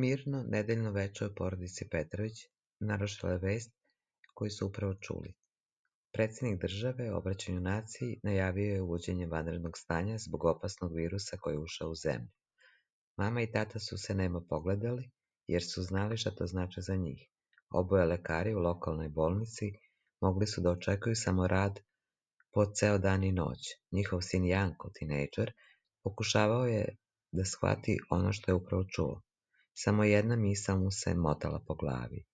Mirno nedeljno veče u porodici Petrović narušila je vest koju su upravo čuli. Predsjednik države u obraćanju naciji najavio je uvođenje vanrednog stanja zbog opasnog virusa koji je ušao u zemlju. Mama i tata su se nemo pogledali, jer su znali šta to znači za njih. Oboje lekari u lokalnoj bolnici mogli su da očekuju samo rad po ceo dan i noć. Njihov sin Janko, tinejdžer, pokušavao je da shvati ono što je upravo čuo. Samo jedna misao mu se motala po glavi.